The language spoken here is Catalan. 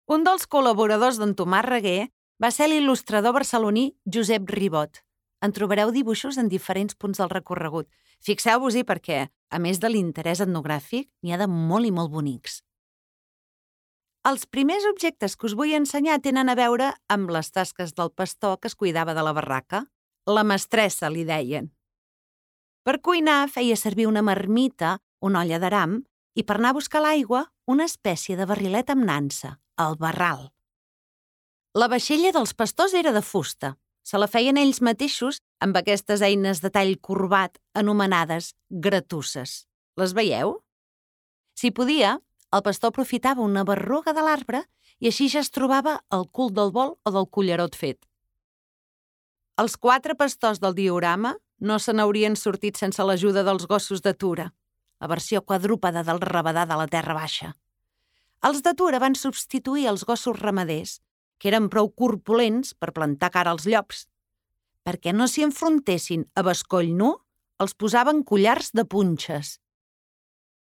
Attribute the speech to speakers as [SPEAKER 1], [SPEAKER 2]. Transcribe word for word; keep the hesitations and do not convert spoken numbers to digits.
[SPEAKER 1] Un dels col·laboradors d'en Tomàs Reguer va ser l'il·lustrador barceloní Josep Ribot. En trobareu dibuixos en diferents punts del recorregut. Fixeu-vos-hi perquè, a més de l'interès etnogràfic, n'hi ha de molt i molt bonics. Els primers objectes que us vull ensenyar tenen a veure amb les tasques del pastor que es cuidava de la barraca. La mestressa, li deien. Per cuinar feia servir una marmita, una olla d'aram, i per anar a buscar l'aigua, una espècie de barrilet amb nansa, el barral. La vaixella dels pastors era de fusta. Se la feien ells mateixos amb aquestes eines de tall corbat anomenades gratusses. Les veieu? Si podia, el pastor aprofitava una berruga de l'arbre i així ja es trobava el cul del bol o del cullerot fet. Els quatre pastors del diorama no se n'haurien sortit sense l'ajuda dels gossos de Tura, la versió quadrúpeda del rabadà de la Terra Baixa. Els de Tura van substituir els gossos ramaders, que eren prou corpulents per plantar cara als llops. Perquè no s'hi enfrontessin a bescoll nu, els posaven collars de punxes.